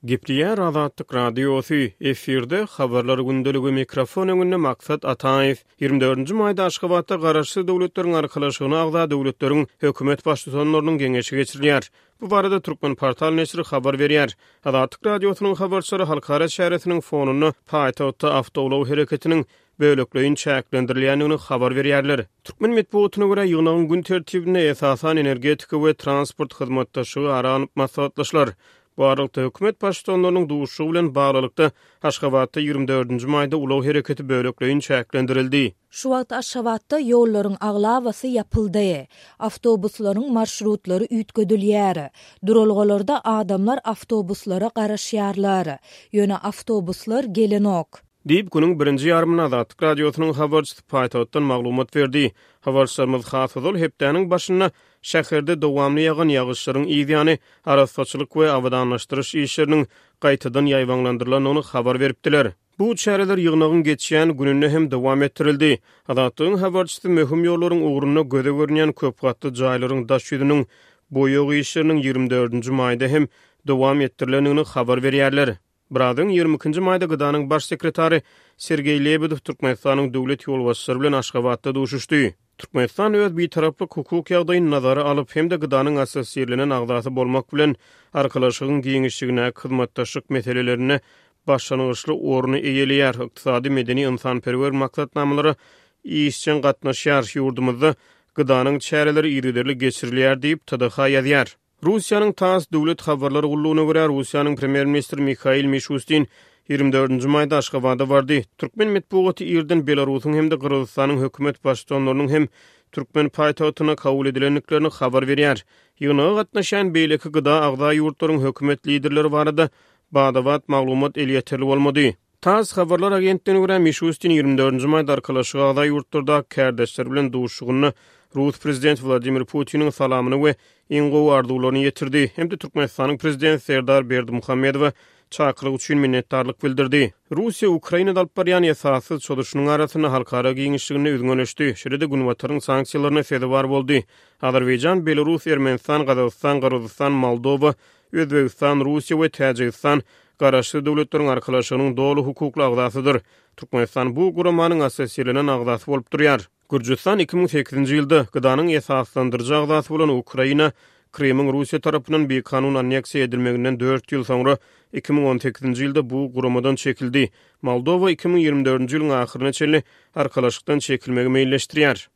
Gepleýär Azatlyk Radiosy, efirde Habarlar gündeligi, mikrofon öňünde Maksat Ataýew. 24-nji maýda Aşgabatda Garaşsyz Döwletleriň Arkalaşygyna agza döwletleriň hökümet baştutanlarynyň geňeşi geçirilýär. Bu barada Turkmenportal neşiri habar berýär. Azatlyk Radiosynyň habarçylary halkara çäresiniň fonunda paýtagtda awtoulag hereketiniň bölekleýin çäklendirilýändigini habar berýärler. Türkmen metbugatyna görä, ýygnagyň gün tertibinde esasan energetika we transport hyzmatdaşlygy ara alnyp maslahatlaşylar. Bu aralykda, hökümet baştutanlarynyň duşuşygy bilen baglylykda, Aşgabatda 24 nji maýda ulag hereketi bölekleýin çäklendirildi. Şu wagt Aşgabatda ýollaryň aglabasy ýapyldy. Awtobuslaryň marşrutlary üýtgedilýär. Duralgalarda adamlar awtobuslara garaşýarlar. Ýöne awtobuslar gelenok. Diýip, günüň birinji ýarymynda Azatlyk Radiosynyň habarçysy paýtagtdan maglumat berdi. Habarçylarymyz has ozal hepdäniň başynda şäherde dowamly ýagan ýagyşlaryň yzýany arassaçylyk we abadanlaşdyryş işleriniň gaýtadan ýaýbaňlandyrylandygyny habar beripdiler. Bu çäreler ýygnagyň geçýän gününde hem dowam etdirildi. Azatlygyň habarçysy möhüm ýollaryň ugrunda göze görünýän köpgatly jaýlaryň daş ýüzüniň boýag işleriniň 24 nji maýda hem dowam etdirilendigini habar berýärler. Biraz öň, 22 nji maýda GDA-nyň Baş sekretary Sergeý Lebedew Türkmenistanyň döwlet ýolbaşçylary bilen Aşgabatda duşuşdy. Türkmenistan öz bitaraplyk hukuk ýagdaýyny nazara alyp hem-de GDA-nyň assosirlenen agzasy bolmak bilen, Arkalaşygyň giňişligindäki hyzmatdaşlyk meselelerinde başlangyçly orny eýeleýär, ykdysady, medeni-ynsanperwer maksatnamalara işjeň gatnaşýar, ýurdumyzda GDA-nyň çäreleri yzygiderli geçirilýär diýip, TDH ýazýar. Russiýanyň tass döwlet habarlar gullugyna görä, Russiýanyň premýer-ministri Mihail Mişustin 24-nji maýda Aşgabada bardy. Türkmen metbugaty irden Belarusyň hem-de Gyrgyzystanyň hökümet baştutanlarynyň hem türkmen paýtagtynda kabul edilendiklerini habar berýär. Ýygnaga gatnaşýan beýleki GDA agza ýurtlaryň hökümet liderleri barada bada-bat maglumat elýeterli bolmady. Tass habarlar agentligine görä, Mişustin 24-nji maýda Arkalaşyga agza ýurtlardaky kärdeşleri bilen duşuşygynda rus prezidenti Wladimir Putiniň salamyny we iň gowy arzuwlaryny ýetirdi hem-de Türkmenistanyň prezidenti Serdar Berdimuhamedowa çakylyk üçin minnetdarlyk bildirdi. Russiýa Ukrainada alyp barýan esassyz çozuşynyň arasynda halkara giňişliginde üzňeleşdi, şeýle-de Günbataryň sanksiýalaryna sezewar boldy. Azerbaýjan, Belarus, Ermenistan, Gazagystan, Gyrgyzystan, Moldowa, Özbegistan, Russiýa we Täjigistan Garaşsyz Döwletleriň Arkalaşygynyň doly hukukly agzasydyr. Türkmenistan bu guramanyň assosirlenen agzasy bolup durýar. Gürjüstan 2008-nji ýylda GDA-nyň esaslandyryjy agzasy bolan Ukraina Krymyň Russiýa tarapyndan bikanun anneksiýa edilmeginden dört ýyl soňra 2018-nji ýylda bu guramadan çekildi. Moldowa 2024-nji ýylyň ahyryna çenli Arkalaşykdan çekilmegi meýilleşdirýär.